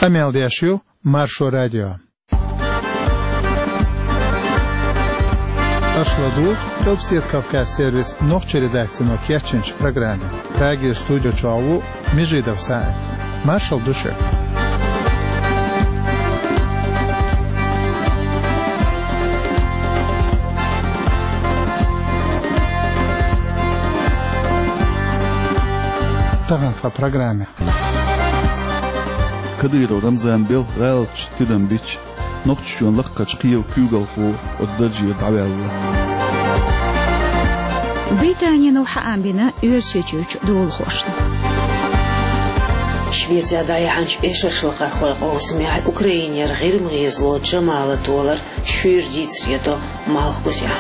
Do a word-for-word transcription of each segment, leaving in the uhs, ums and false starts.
Къамел деш ю Маршо радио. Аша ладугӀу Къилбседа Кавказ сервисан нохчийн редакцино кечйинчу программе. Прагера студи чохь ву Межидов СаӀид. Маршалла ду шуьга. Тахана тхан программе. Кадыров Рамзан белхан гӀалаташ тидам бича, Нохчийчоьнан лакхарчу кхелан куьйгалхо оцу даржера дӀаваьлла. Британина хаам бина Оьрсийчуьрчу долахошна. Швецехь дӀаяьхьначу эшаршлакхархойн къовсамехь Украинера ГӀирма гӀезало Джамала толар шуьйра дийцаре до Малхбузехь.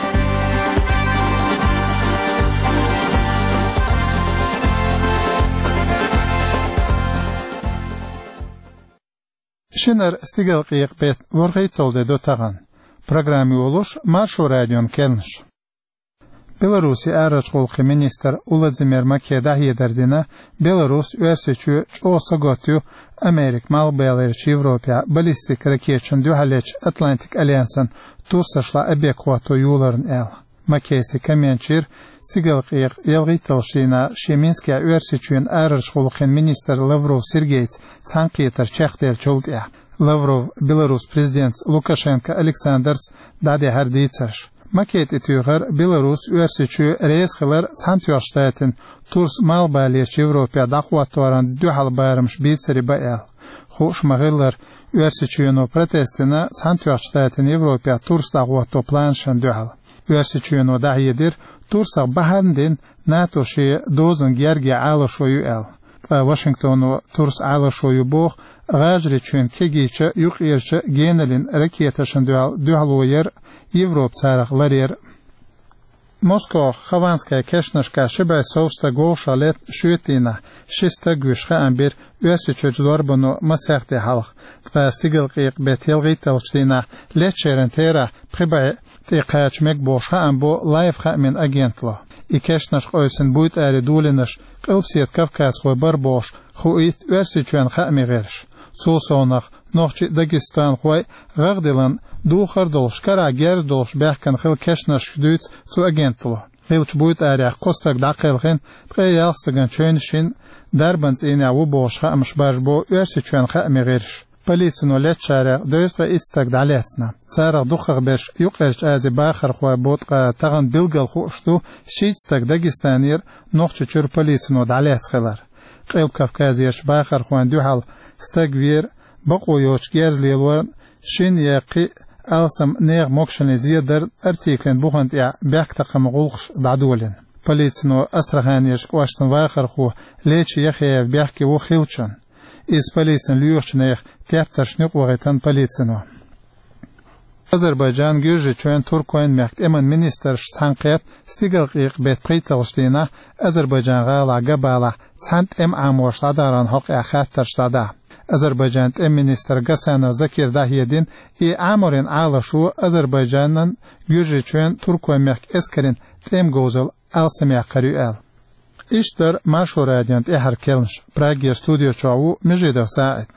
Шинара стигалкъекъа беттан ворхӀитталгӀа де ду тахана. Программа йолуш Маршо радион кхаьънаш. Беларусин арахьарчу гӀуллакхийн министр Уладзимир Маке дӀахьедар дина, Беларус Оьрсийчоь чӀогӀа сагатта ю Америка Малхбалерчу Европехь баллистик ракеташна дуьхьал ечу Атлантик альянсан турсашла объект хӀотто йоларна аьлла. Макейс и коммент йира стигалкъекъа ялхитталгӀачу дийнахь шен Минскехь Оьрсийчоьнан арахьарчу гӀуллакхийн министр Лавров Сергейца цхьаьнакхетар чекхделлачул тӀаьхьа. Лавров Беларус президентца Лукашенко Александрца дӀадахьара дийцарш. Маке тӀетуьйхира Беларус Оьрсийчоь реза хилар Цхьаьнатоьхначу Штатийн турс Малхбалерчу Европехь дӀахӀотторна дуьхьал барамаш бийцаре бан аьлла. Хууш ма-хиллара, Оьрсийчоьно протест дина Цхьаьнатоьхначу Штатийн Европехь турс дӀахӀотто планашна дуьхьал. Оьрсийчоьно дӀахьедира, турсах бахьана дина НАТО шен дозанан герга Ӏалашо ю аьлла. Ткъа Вашингтоно турс Ӏалашо ю боху ГӀажарийчоьнан кегийчу, юккъерчу генарийн ракеташна дуьхьал дуьхьало яр Европа царах ларъяр. Москох Хованская кешнашкахь ши бӀе сов стаг вовшахлетта шоьтан дийнахь ши стаг вуьйш хаам бира Оьрсийчуьрчу зорбано масех де хьалха. Ткъа стигалкъекъа беттан ялхитталгӀачу дийнахь летчеран терахь пхи бӀе тӀе кхача мега бохуш хаам бо Лайф хаамийн агенталло. И кешнаш къевсина буйтӀаре долийнарш къилбседа кавказхой бара бохуш хуийта Оьрсийчоьнан хаамийн гӀирсаша. Цул совнаха, нохчий а, дагестанхой а гӀагӀ диллина духар долуш, карахь герз долуш баьхкина хилла кешнашка дуьйцу цу агенталло. Хиллачу буйтӀарехь кхо стаг дӀакхелхина, ткъе ялх стагана чевнаш йина, дарбан цӀийнехь ву бохуш хаамаш баржабо Оьрсийчоьнан хаамийн гӀирсаша. Полицино летчарех дезткъе итт стаг дӀалаьцна. Царах дукхахберш Юккъерчу Азин бахархой бу, ткъа тахана билггал хууш ду шийтта стаг Дагестанера Нохчийчуьра полицино дӀалаьцна хилар. Къилба Кавказерчу бахархойн дуьхьал стаг веара, бакъо йоцуш герз лелорна, шина я кхин а алсам нехан могушаллин зен дарна, артиклан бухана тӀехь бехктакхаман гӀуллакхаш дӀадолийна. Полицино Астраханерчу кӀоштан вахархо Лечи Яхяев бехке ву хиллачунна. Иза полицина лоьхучу нехан тептаршна юкъа вахийтина полицино. Азербайджан, Гуьржийчоьнан, Туркойн мехкан тӀеман министраш цхьаьнакхетта стигалкъекъа беттан пхийтталгӀачу дийнахь Азербайджан гӀалахь Габалахь цхьана тӀеман Ӏаморш дӀадаран хьокъехь хаттарш дӀадаха. Азербайджан тӀеман министра Гасанов Закира дӀахьедина, и Ӏаморийн Ӏалашо Азербайджанан, Гуьржийчоьнан, Туркойн мехкан эскарийн тӀеман говзалла алсамъяккхар ю аьлла. Иштта дара Маршо радион тӀаьхьара кхаьънаш. Прагера студи чохь ву Межидов СаӀид.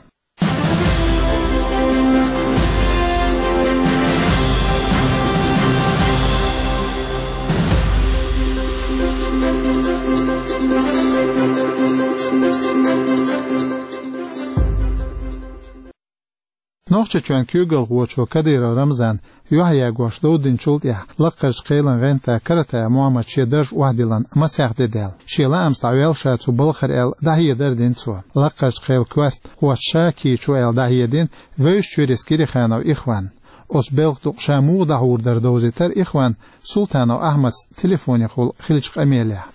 Нохчийчоьнан куьйгалхочо Кадыров Рамзана юьхьъягош дов динчул тӀаьхьа лакхарчу кхелан гӀанта Каратаев Мохьмада шен дарж охьадиллина масех де даьлла. Шен лаамца дӀаваьлла ша цу балхара аьлла, дӀахьедар дина цо. Лакхарчу кхелан коьртахочо ша кийчо аьлла дӀахьедина Вевзачу Чуьрийс Кириханов Ихвана. Оцу белхан дукъ ша муха дӀахьур дара довзийтира Ихвана Султанов Ахьмадца телефонехула хиллачу къамелехь.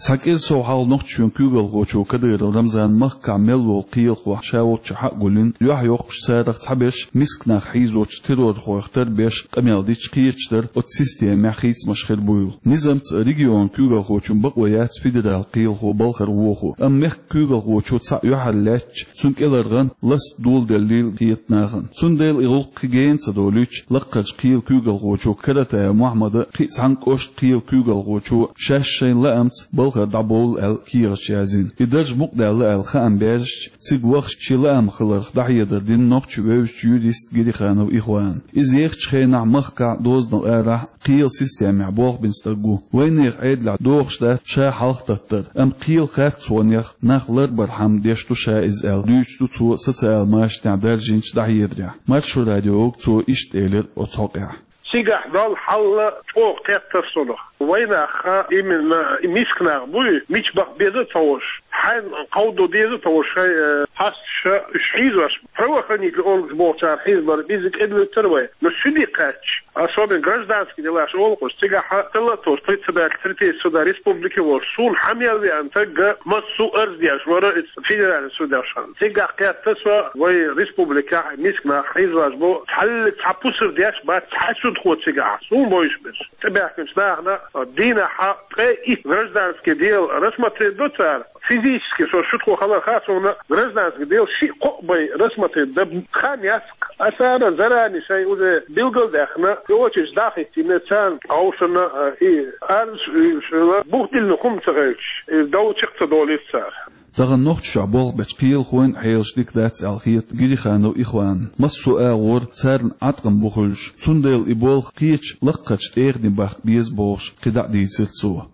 Цхьа кӀира сов хьалха Нохчийчоьнан куьйгалхочо Кадыров Рамзана махкахь мел волу кхелахо ша волччохь а гулйина, юьхьйоккхуш, царах цхьаберш миска нах хьийзочу террорхойх тарбеш къамел дича, кхеташ дара оцу системехь хийцамаш хир буйла. Низамца регионан куьйгалхочун бакъо яц федералан кхелахо балхара вохо, амма мехкан куьйгалхочо цхьаъ юьхьар лаьтташ, цунна кӀелхьаргӀан ласта доладеллийла хета нахана. Цундела и гӀуллакх кхин гена ца долуьйтуш, лакхарчу кхелан куьйгалхочо Каратаев Мохьмада, кхин а цхьана кӀоштан кхелан куьйгалхочо шаьш шайна лаамца балха лакхара дӀабовла аьлла кехаташ язйина. И дарж мукъадаьлла аьлла хаам баьржача, цига вахача шен лаам хиларх дӀахьедар дина нохчийн вевзача юриста Гириханов Ихвана. Иза ехача хенахь махкахь, дозанал арахь кхелан системехь болх бина стаг ву. Вайнехан Ӏедалехь догӀуш дац ша хьалхататтар, амма кхелан харцонех нах ларбаран хӀама деш ду ша иза аьлла, дуьйцуш ду цо социалан машанехь даржийначу дӀахьедарехь. Маршо радиога цо иштта элира оцу хьокъехь. Цигахь долу хьал чӀогӀа кхетта суна. Вайнах, именно миска нах буй, мича баккха беза а ца хууш, хьенан кховдо деза а ца хууш, шайн, э, хьосташ уьш хьийзош, правоохранительный органаш бохучара хьийзабар, иза кӀеда вуьтура вай. Но суьде кхаьчча, особенно гражданский делаш олу-кх уьш, цигахь хилла а тосуш, председатель третейского суда республики волуш, суна хьа мел веана стаг массо а арз деш вара иза федеральный судьяш. Цигахь кхетта со, вай республикехь миска нах хьийзош бу, цхьаллиг цхьа пусар деш бац цхьа судхо цигахь, суна бовзуш берш. ТӀебаьхкинчу нахана дийнахь ткъе итт гражданский дело рассмотреть до цара. Физически со шутхо хиларх а суна гражданский дело шиъ-кхоъ бен рассмотреть дан хан яц-кх. Аса ара заранее шайн уже билгалдаьхна, и очередь дӀахӀиттийна царна, хьовсуш а, и арз а, и шуна бух диллина хӀума ца хилча, и дов чекх ца долуьйту цара. Тахана Нохчийчохь болх бечу кхелахойн а хьелаш дика дац аьлла хета Гириханов Ихванна. Массо а агӀор царна Ӏаткъам бу хуьлуш, цундела и болх кхечу лакхарчу тӀегӀане баккха беза бохуш, кхидӀа а дийцира цо.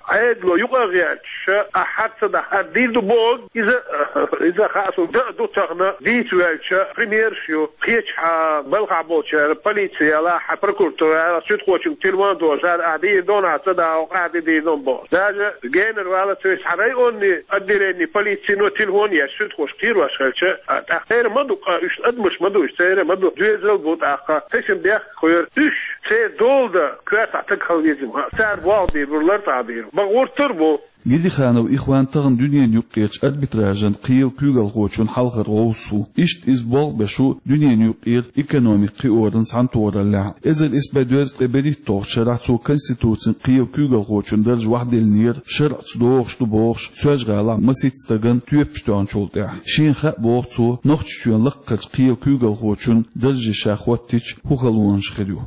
Ӏедало юкъа а гӀерташ, ахь хьаца дахьа дийр ду боху, иза, иза хаа суна, дан а ду тахана, дийца ваьлча, примераш ю. Кхечу хьан балхахь болчара, полици ялахь, прокуратура ялахь, суьдхочуьнга телефон дохуш, ахь дийр ду, ахь ца дахьа, ахь де дийр ду боху. Даже генара валлалц вайца хьан районный отделение полицино телефон еш, суьдхош кхерош хилча, а, тӀаккха церан ма ду, а, уьш адамаш ма ду, уьш церан ма ду, доьзал бу тӀаккха, тешнабехк кхоьру, уьш церан дола дан коьртахь стаг хила веза-м, цара болх бийр бу, лартӀахь бийр бу. Бакъ гӀуртар бу. Гириханов Ихван тахана дуьненан юккъерчу арбитражан кхелан куьйгалхочун хьалхара гӀовс ву. Иштта иза болх беш ву дуьненан юккъера экономика кхиоран цхьаьнатохараллехь. Эзар исс бӀе дезткъе берхӀитталгӀачу шарахь цо Конституцин кхелан куьйгалхочун дарж вахьделлинера, шарӀаца догӀуш ду бохуш, Соьлжа-ГӀалахь масийтта стагана тоьпаш тоьхначул тӀаьхьа. Шена хаьа боху цо, Нохчийчоьнан лакхарчу кхелан куьйгалхочун дарже ша хӀоттийча, хӀун халонаш хир ю.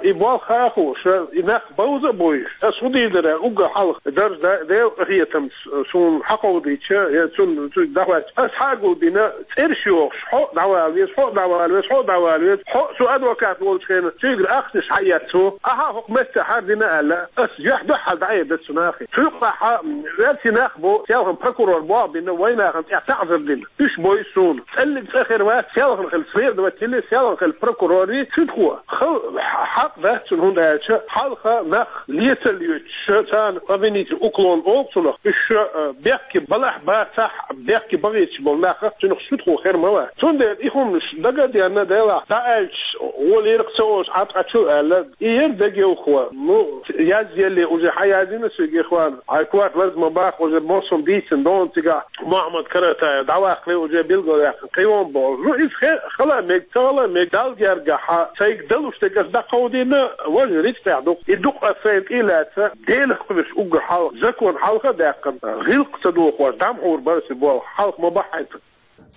И болх хаа хууш, и нах бовза а бовзуш, ас хӀун дийр дара, уггар хьалха дарж да-, Делан къинхетамца суна хьакховдийча, я цунна, цуьнга дӀахӀоьттича, ас хьа а гулбина, цӀераш йохуш, хьо а дӀавала веза, хьо а дӀавала веза, хьо а дӀавала веза, хьо а со адвокат волчу хенахь, цуьнгара ахчанаш хьаэцна, ахьа хӀокху меттехь хӀара дина аьлла, ас юьхь-дуьхьал дӀаэцна цу нахе. Цу юкъахь оьрсийн нах бу, селхана прокурор болх бина, вайнахана тӀехь таӀзар дина. Уьш бой суна. ЦӀаллиг цӀа хир вац, селхана хила следователи, селхана хила прокурори, суьдхо. Хала хьакъ дац цунна, хӀунда аьлча хьалха нах лецалла йоьдуш, царна обвинительный уклон олу цунах. Уьш, а, бехке балахь бацахь, бехке бахийташ болу нах, цунах суьдхо хир ма вац. Цундела и хӀуманаш дага а денна, делахь дӀааьлча, гӀоле лерах ца олуш Ӏаткъачу аьлла, и яра дегайовхо. Ну, язъелле уже хьан яздина соьга, Ихван? Хьайн корта лаза ма баккха, уже массо а дийцина дона цигахь. Мухьаммад Каратаев дӀаваккхале, уже билгалваьккхина кхин а вон боху. Ну, иза хе-, хала а мега, ца хала а мега, Далла гергахь, сайга далуш дерг ас дӀакховдийна, важа рицкъехь ду-кх. И ду-кх ас сайна тӀе а лаьцна, Делах кхоьруш уггар хьалха, закон хьалха а даьккхина, гӀиллакх ца дохош, дӀа ма хьур бара аса и болх, хьалха ма бахьийта.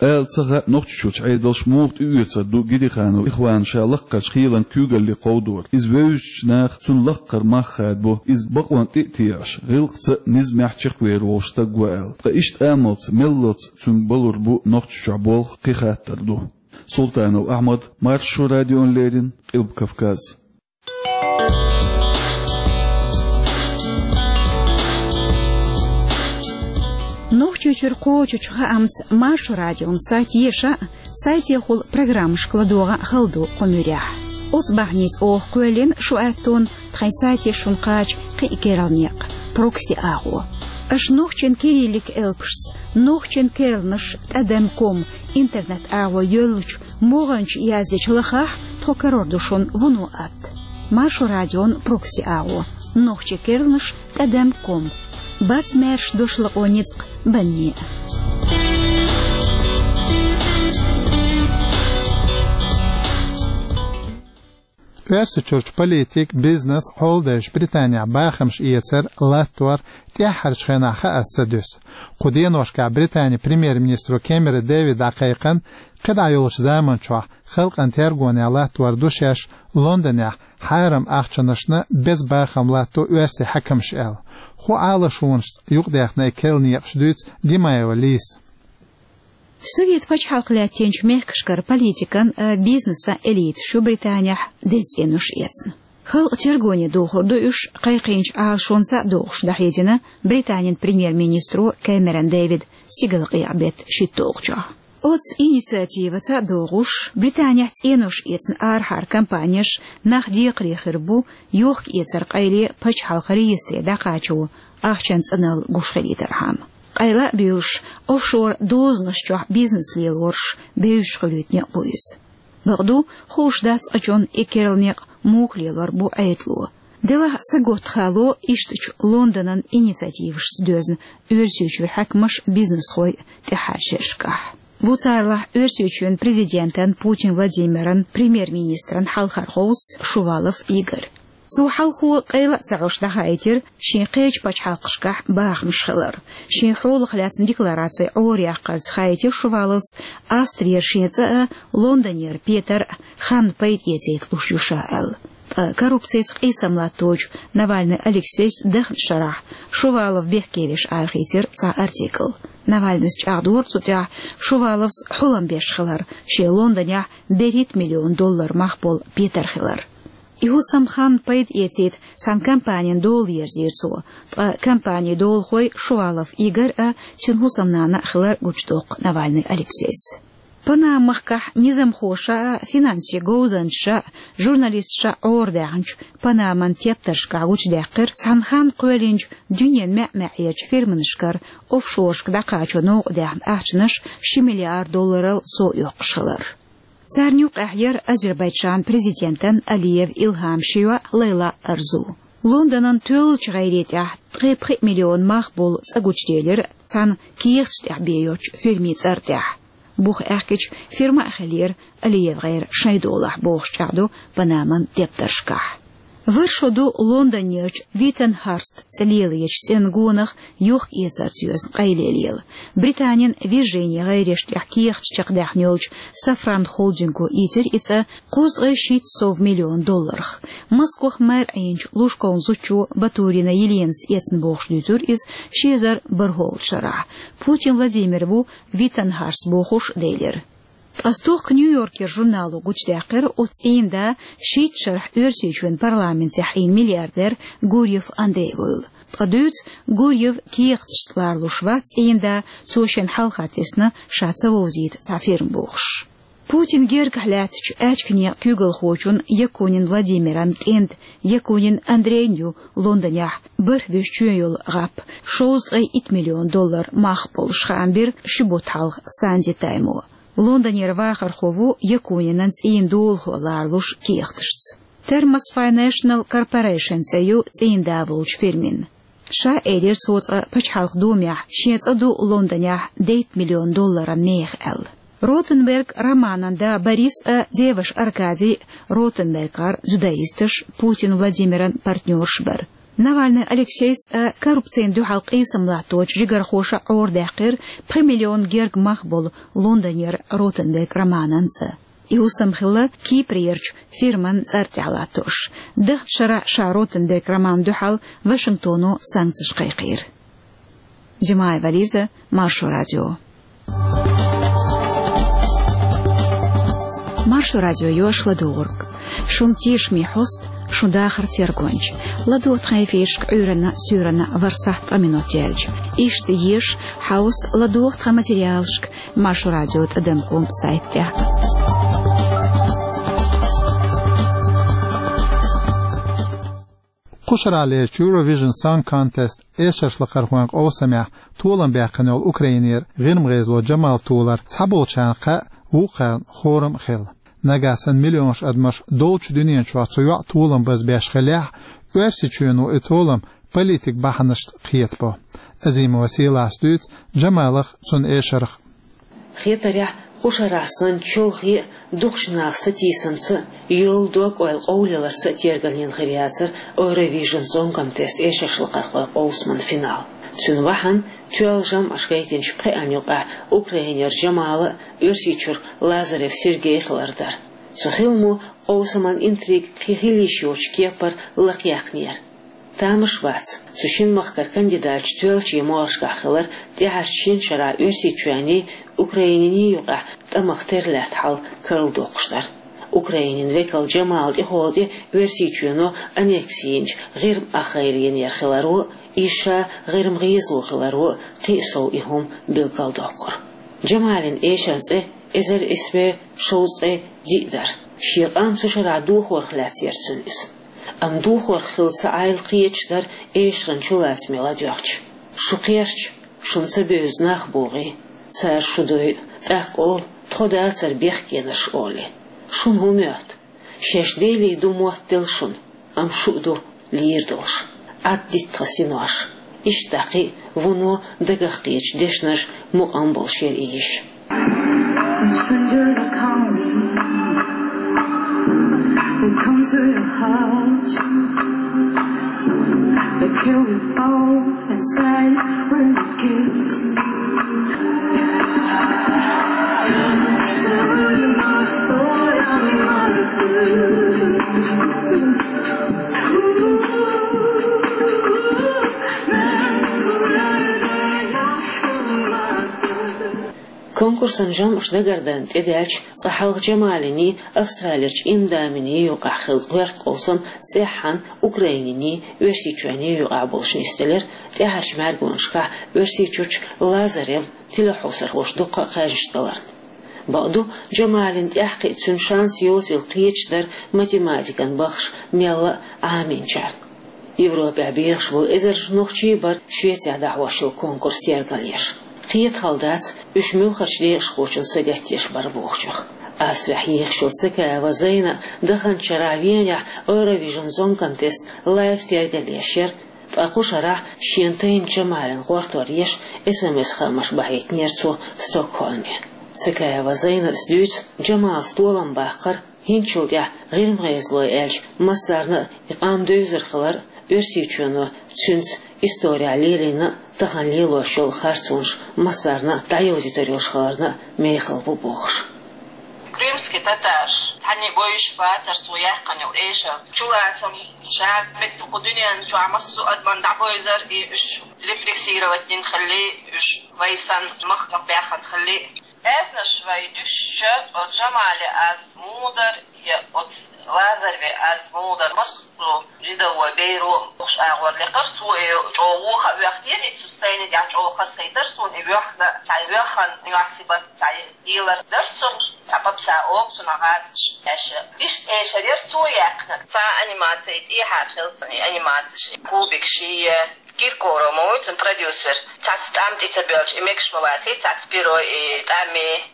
Ала ца хаьа, Нохчийчуьрчу Ӏедалш муха тӀеоьцур ду Гириханов Ихвана ша лакхарчу кхелан куьйгалле кховдор. Иза вевзачу наха цунна лакхара мах хадабо, иза бакъонна тӀе а тешаш, гӀиллакхца а, низамехь а чекхвер волуш стаг ву аьлла. Ткъа иштта амалца, меллалц цуьнга балур бу Нохчийчохь болх, кхин хаттар ду. Султанов Ахьмад, Маршо радиона леррина, Къилба Кавказ. Нохчийчуьра кхочучу хаамца Маршо радион сайт еша а, сайтехула программашка ладогӀа а хала ду кху муьрехь. Оцу бахьаница оха кхоьллина шу аьттонна тхайн сайте шуна кхача кхин а керла некъ, прокси агӀо. Аша нохчийн кириллик элпашца, нохчийн керланаш тӀадам ком интернет агӀо йоьллучу могӀанчу яздечу лахахь тхо карор ду шуна вуно атта. Маршо радион прокси агӀо, нохчийн керланаш тӀадам ком. Бац маьрша дош лакъо ницкъ банне а. Оьрсийчуьрчу политик, бизнес, хьолдайша Британехь бахамаш эцар, латтор тӀаьххьарчу хенахь хаас ца дуьсу. Кху деношкахь Британин премьер-министро Кэмерон Дэвида дӀакхайкхина, кхидӀа йолчу заманчохь халкъан тергонехь латтор ду шаьш Лондонехь хьарам ахчанашна беза бахам латто оьрсийн хьаькамаш аьлла. Ху Ӏалашонашца юкъадаьхна керла некъаш дуьйцу Димаева Лизас. Совет пачхьалкх лаьттинчу мехкашкара политикан а, бизнесан элиташ ю Британехь деза цӀенош эцна. Халкъан тергоне дохур ду уьш, кхайкхийначу Ӏалашонца а догӀуш дӀахьедина Британин премьер-министро Кэмерон Дэвида стигалкъекъа беттан шийтталгӀачохь. Оцу инициативаца а догӀуш, Британехь цӀенош эцна арахьара компанеш нах декхаре хир бу йохк-эцаран къайле пачхьалкхан реестре дӀакхачо ахчанан цӀаналла гуш хилийтархьама. Къайла а буьйлуш, офшор дозанаш чохь бизнес лелораш бевзаш хуьлуьйтуш а бу иза. Бакъду, хууш дац цкъачунна и керла некъ муха лелор бу Ӏедало. Делахь саготта хало ишттачу Лондонан инициативашца доьзна Оьрсийчуьра хьаькамаш, бизнесхой тӀаьххьарчу шерашкахь. Ву царалахь Оьрсийчоьнан президентан Путин Владимиран, премьер-министран хьалхара гӀовс Шувалов Игорь. Цо хьалхо къайла а ца Ӏаш дӀахаийтира шен кхечу пачхьалкхашкахь бахамаш хилар. Шен хьолах лаьцна деклараци Ӏораяккхарца хаийтира Шуваловс Австрера шен цӀа а, Лондонера Петар а ханна пайда эцийта луш ю ша аьлла. Ткъа коррупцица къийсам латточу Навальный Алексейс дахначу шарахь Шувалов бехке веш арахийцира цхьа артикл. Навальныйс чӀагӀдора цу тӀехь Шуваловс хьулам беш хилар, шен Лондонехь берхӀитта миллион доллар мах болу Петар хилар. И хӀусам ханна пайда эцийта цхьана компанина дола ерзийра цо, ткъа компанин долахой Шувалов Игорь а, цуьнан хӀусамнана а хилар гучудоккху Навальный Алексейс. Панама-махкахь низамхоша а, финансийн говзанчаша а журналисташа Ӏорадаьхначу Панаман тептаршкахь гучудаьккхира цхьана ханна кхоьллинчу дуьненан маьӀ-маьӀӀерчу фирманашкара офшорашка дӀакхачо новкъадаьхна ахчанаш ши миллиард долларал сов оьккхуш хилар. Царна юкъахь яра Азербайджан президентан Алиев Илхам ши йоӀ Лайла Арзу. Лондонан тоьллачу гӀайре тӀехь ткъе пхи миллион мах болу цӀа гучуделира цхьана кехаташ тӀехь бен йоцучу фирмин цӀар тӀехь. Бух аьхкича, фирма а хиллера Алиев гӀайра шайн долахь, бохуш чӀагӀдо Панаман тептаршкахь. Вара шо ду Лондонерчу Виттенхарст цӀе лелочу цӀенна гонах йохк-эцарца йоьзна къайле лела. Британин Виржини гӀайреш тӀехь кехаташ чекхдаьхна йолчу Safran холдинго ийцира и цӀа кхузткъе шийтта сов миллион долларах. Москох мэр Ӏийначу Лужковн зудчо Батурина Еленас эцна бохуш дуьйцура иза ши эзар бархӀолгӀачу шарахь. Путин Владимир ву Виттенхарст бохуш делира. Ткъа стохка Нью-Йоркера журнало гучудаьккхира, оцу цӀийнан да шийтта шарахь Оьрсийчоьнан парламентехь Ӏийна миллиардер Гурьев Андрей вуйла. Ткъа дуьйцу, Гурьев кехаташца ларалуш вац цӀийнан да, цо шен хьалха тесна ша ца вовзийта цхьа фирма бохуш. Путин гергахь лаьттачу аьчка некъан куьйгалхочун Якунин Владимиран кӀентан Якунин Андрейн ю Лондонехь бархӀ вуьзчоьнан йолу гӀап, шовзткъе итт миллион доллар мах болуш, хаам бира ши бутт хьалха Санди Таймо. Лондонера вахархо ву Якунинан цӀийнан долахо ларалуш кехаташца. Thermos Financial Corporation цӀе ю цӀийнан да волчу фирмин. Ша элира цо цкъа Пачхьалкхан Думехь, шен цӀа ду Лондонехь дейтта миллион долларан мехах аьлла. Ротенберг Романан да Борис а, деваш Аркадий а Ротенбергера дзюдоисташ, Путин Владимиран партнёрш бара. Навальный Алексейс а коррупцина дуьхьал къийсам латточу жигархоша Ӏорадаьккхира пхи миллион герга мах болу Лондонера Ротенберг Романан цӀа. И хӀусам хилла Кипрерчу фирман цӀар тӀехь латтош. Даханчу шарахь ша Ротенберг Романна дуьхьал Вашингтоно санкцеш кхайкхийра. Димаева Лиза, Маршо радио. Маршо радио йош ладугӀург. Шун тешаме хьост, шун дахар тергонча. ЛадогӀа тхан эфиршка Ӏуьйранна, суьйранна ворхӀ сахьт ткъа минот яьлча. Иштта еза, хьовса, ладогӀа тхан материалшка Маршо радио тӀадам ком сайт тӀехь. Кхушара лерчу Eurovision Song Contest эшарш лакхархойн къовсамехь толам баьккхина йолу Украинера гӀирма гӀезало Джамал толар цхьаболчарна кхаъ, вукхарна хорам а хилла. Нагахь санна миллионаш адамаш долчу дуьнен чохь цу йоӀан толам базбеш хиллехь, Оьрсийчоьно и толам политик бахьанашца кхетабо. Азимова Сийлас дуьйцу Джамалах, цуьнан эшарх. Хетарехь, кхушарахь санна чолхе а, дукхачу наха сатийсамца а, йолу дог-ойла къовлаларца а тергалйина хир яцара Eurovision Song Contest эшарш лакхархойн къовсаман финал. Цуьнан бахьана тоьлла жамӀаш гайтинчу пхеана юкъахь Украинера Джамала а, Оьрсийчуьра Лазарев Сергей а хилар дара. Цу хиламо къовсаман интрига кхин хила йиш йоцчу кепара лакхаяьккхинера. Тамаш бац, цу шин махкара кандидаташ тоьллачийн моаршкахь хилар тӀаьхьарчу шина шарахь Оьрсийчоьнний, Украинний юкъахь тӀамах тера лаьтта хьал карладоккхуш дар. Украинин векал Джамал тӀехула тӀе Оьрсийчоьно аннекси йинчу ГӀирма ахгӀайла йинера хиларо а, иза ша ГӀирма гӀезало хиларо а кхин а сов и хӀума билгалдоккхура. Джамалин эшаран цӀе эзар исс бӀе шовзткъе диъ дара. Шен къам цу шарахь дохорах лаьцна яра цуьнан иза. Амма дохорах хилла ца Ӏайла кхеташ дара эшаран чулацаме ладоьгӀча. Шу кхерча, шуна ца бевза нах богӀий, цара шу дойу, тӀаккха олу, тхо дацара бехкенарш олий. Шуна хӀун моьтту? Шаьш Деле ду моттаделла шуна, амма шу а ду лийр долуш. Ӏад дитта тхан синош. Иштта кхин а вуно дагах кхеташ дешнаш мукъам болуш яра и йиш. When strangers are coming, they come to your house. They kill you all and say we're not guilty. Конкурсан жамӀаш дагардан тӀедаьлча, цкъа хьалха Джамалиний, Австралерчу Имдаминий юкъахь хилла гӀоьрта къовсам цӀеххьана Украининний, Оьрсийчоьнний юкъахь болуш нисделира, тӀаьхьарчу мӀаьргонашкахь Оьрсийчуьрчу Лазарев тилохьовсархоша дуккха а кхаьжнаш даларна. Бакъду, Джамалин тӀаьхьакхиа цуьнан шанс йоцийла кхеташ дара математикан баххаш мелла а Ӏамийнчарна. Европехь бехаш болу эзарнаш нохчий бара Швецехь дӀахьош йолу конкурс тергалъеш. Кхета хала дац, уьш муьлххачу декъашхочунна сагатдеш бара бохучух. Австрехь ехаш йолу Цекаева Зайна даханчу шарахь Венехь Eurovision Song Contest лайв тергалъеш яра, ткъа кху шарахь шена тайна Джамалин гӀортор еш эс эм эс-хаамаш бахьийтинера цо Стокгольме. Цекаева Зайнас дуьйцу, Джамалс толам баккхар, хӀинцачул тӀаьхьа ГӀирма гӀезалой аьлча, массарна а и къам девзар хилар, Оьрсийчоьно цуьнца исторехь лелийна а, тахана лелош йолу харцонаш массарна а дӀайовзийтар йолуш хиларна а мехала бу бохуш. Крымский татарш, цхьанне а бовзуш бацара цо яьккхина йолу эшар, чулацам, ша меттиг кху дуьненна чохь массо а адамна дӀабовзар, и уьш репрессировать дина хилли, уьш вай санна махках баьхна хилли. Аьзнаш вай дуьсча, оцу Джамали аз мудар я оцу Лазареве аз мудар, массо а рядовой беро бохуш агӀор лекхара цо, и чӀогӀа вуха а воьхнера, и цу сцени тӀехь чӀогӀа хазахийтар суна, и воьхна, цхьа воьхна, нохчийн бат цхьа елар дара цунна, цхьа папса оха цунах гӀазаш аьшша. Иштта эшар яра цо яьккхина, цхьа анимаци тӀехьара хилла цунна, и анимациш, и кубик шия. Киркоров ма вуй цуьнан продюсер. Цхьацца тӀам тӀе ца боьлча, и мегаш ма ваций, цхьацца перо, и тӀам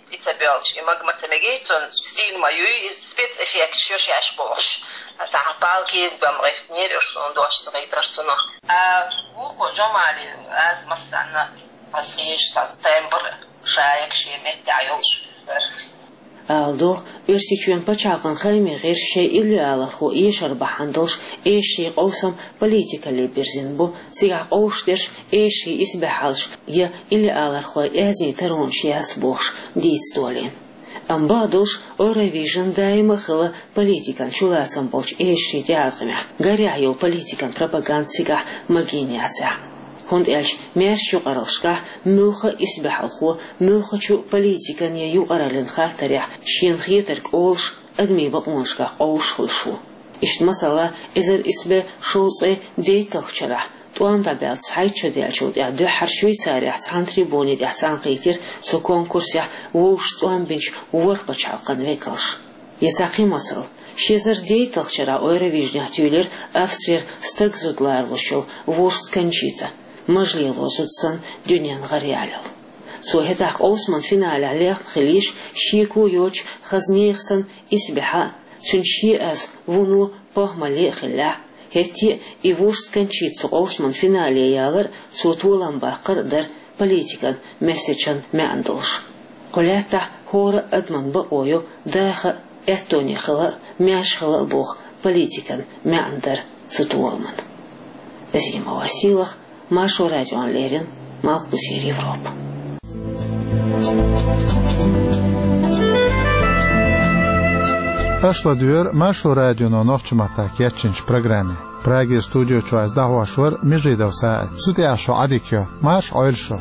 тӀе ца боьлча, и мага ма ца мегий цунна, стиль ма юй, и спецэффекташ ю шаьш бохуш. Цхьа палки бан гӀиснера уьш, суна дош ца гӀийтар цунах. А вукхо Джамали аз массарна а хезаш, цхьа тембр шайга шен меттехь йолуш дара. Ала догӀу, Оьрсийчоьнан пачхьалкхан хаамийн гӀирсаша шайн иллиалархо эшар бахьана долуш эшарийн къовсам политикалле бирзина бу, цигахь къовсуш дерш эшарийн исбаьхьаллаш я иллиалархойн аьзнийн таронаш яц бохуш дийца долийна. Амма бакъдолуш, Eurovision даима а хилла политикан чулацам болчу эшарийн тӀеӀаткъамехь, гарехь йолу политикан пропаганда цигахь магийна яцахь. ХӀунда аьлча маьршачу юкъараллашкахь муьлхха а исбаьхьалхо, муьлххачу политикан я юкъараллин хаттарехь шена хетарг олуш, адамийн бакъонашкахь къовсуш хуьлуш ву. Иштта, масала, эзар исс бӀе шовзткъе дейтталгӀачу шарахь, тӀом дӀабаьлла цхьайтта шо даьллачул тӀаьхьа дуьххьара Швейцарехь цхьана трибуни тӀехь цӀанкхийтира цу конкурсехь вовшашца тӀом бинчу ворхӀ пачхьалкхан векалш. Я цхьа кхин масал. Ши эзар дейтталгӀачу шарахь Евровижнехь туьйлира Австрера стаг зуда лоруш йолу Вурст Кончита, мажа лело зуда санна дуьненна гӀараяьлла йолу. Цо хӀетахь къовсаман финалехь лехна хилийша, шеко йоцуш, хаза нехан санна исбаьхьа а, цуьнан шен аз вуно похӀмалле а хиллехь, хӀетте а и Вурст Кончита цу къовсаман финале ялар а, цо толам баккхар а дара политикан месседжан маьӀна долуш. Кху лаьттахь хӀора а адаман бакъо ю даха а, аьттоне хила а, маьрша хила а боху политикан маьӀна дар цу толаман. Азима Василах, Маршо радиона леррина, Малхбузера Европа. Аша ладуьйгӀира Маршо радионо нохчийн маттахь кечйинчу программе. Праге студио чу ас дӀахьош вара Межидов СаӀид. Цу тӀехь шун Ӏадика йо. Марша Ӏойла шу.